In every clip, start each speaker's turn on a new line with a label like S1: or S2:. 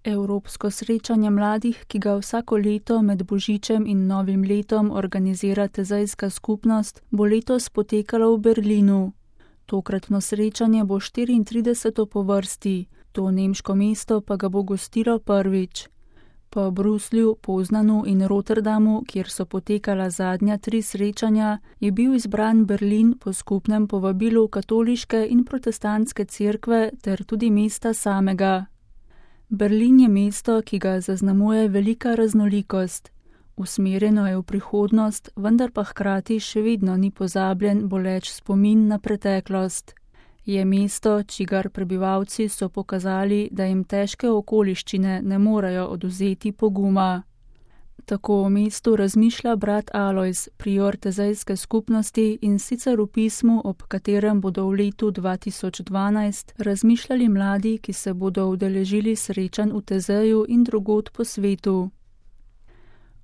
S1: Evropsko srečanje mladih, ki ga vsako leto med Božičem in Novim letom organizira Tezejska skupnost, bo letos potekalo v Berlinu. Tokratno srečanje bo 34. po vrsti, to nemško mesto pa ga bo gostilo prvič. Po Bruslju, Poznanu in Rotterdamu, kjer so potekala zadnja 3 srečanja, je bil izbran Berlin po skupnem povabilu katoliške in protestantske cerkve ter tudi mesta samega. Berlin je mesto, ki ga zaznamuje velika raznolikost. Usmerjeno je v prihodnost, vendar pa hkrati še vedno ni pozabljen boleč spomin na preteklost. Je mesto, čigar prebivalci so pokazali, da jim težke okoliščine ne morejo odvzeti poguma. Tako o mestu razmišlja brat Alojz, prior Tezejske skupnosti, in sicer v pismu, ob katerem bodo v letu 2012 razmišljali mladi, ki se bodo udeležili srečanj v Tezeju in drugod po svetu.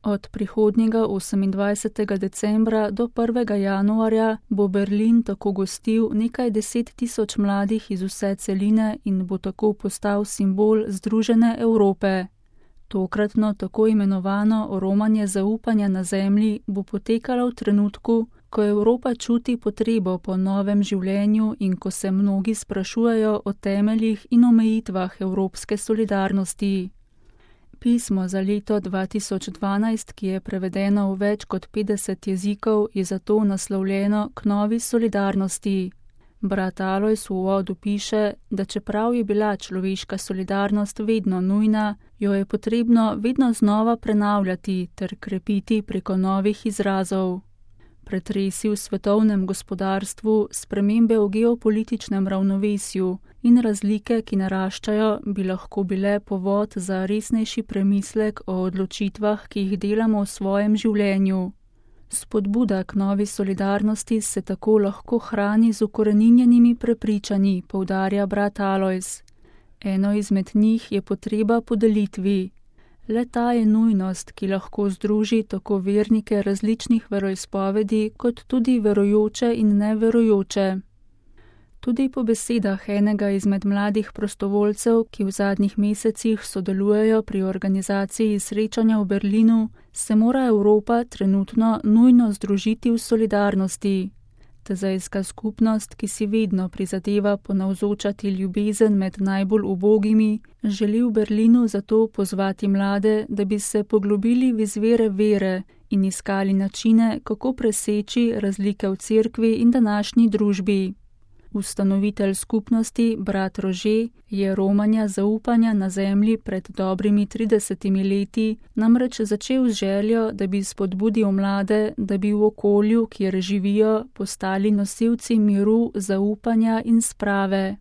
S1: Od prihodnjega 28. decembra do 1. januarja bo Berlin tako gostil nekaj 10 000 mladih iz vse celine in bo tako postal simbol združene Evrope. Tokratno tako imenovano romanje zaupanja na zemlji bo potekalo v trenutku, ko Evropa čuti potrebo po novem življenju in ko se mnogi sprašujejo o temeljih in omejitvah evropske solidarnosti. Pismo za leto 2012, ki je prevedeno v več kot 50 jezikov, je zato naslovljeno k novi solidarnosti. Brat Alojz v uvodu piše, da čeprav je bila človeška solidarnost vedno nujna, jo je potrebno vedno znova prenavljati ter krepiti preko novih izrazov. Pretresi v svetovnem gospodarstvu, spremembe v geopolitičnem ravnovesju in razlike, ki naraščajo, bi lahko bile povod za resnejši premislek o odločitvah, ki jih delamo v svojem življenju. Spodbuda k novi solidarnosti se tako lahko hrani z ukoreninjenimi prepričanji, poudarja brat Alojz. Eno izmed njih je potreba po delitvi. Le ta je nujnost, ki lahko združi tako vernike različnih veroizpovedi, kot tudi verujoče in neverujoče. Tudi po besedah enega izmed mladih prostovoljcev, ki v zadnjih mesecih sodelujejo pri organizaciji srečanja v Berlinu, se mora Evropa trenutno nujno združiti v solidarnosti. Tezejska skupnost, ki si vedno prizadeva ponavzočati ljubezen med najbolj ubogimi, želi v Berlinu zato pozvati mlade, da bi se poglobili v izvire vere in iskali načine, kako preseči razlike v cerkvi in današnji družbi. Ustanovitelj skupnosti, brat Rože, je romanja zaupanja na zemlji pred dobrimi 30 leti namreč začel z željo, da bi spodbudil mlade, da bi v okolju, kjer živijo, postali nosilci miru, zaupanja in sprave.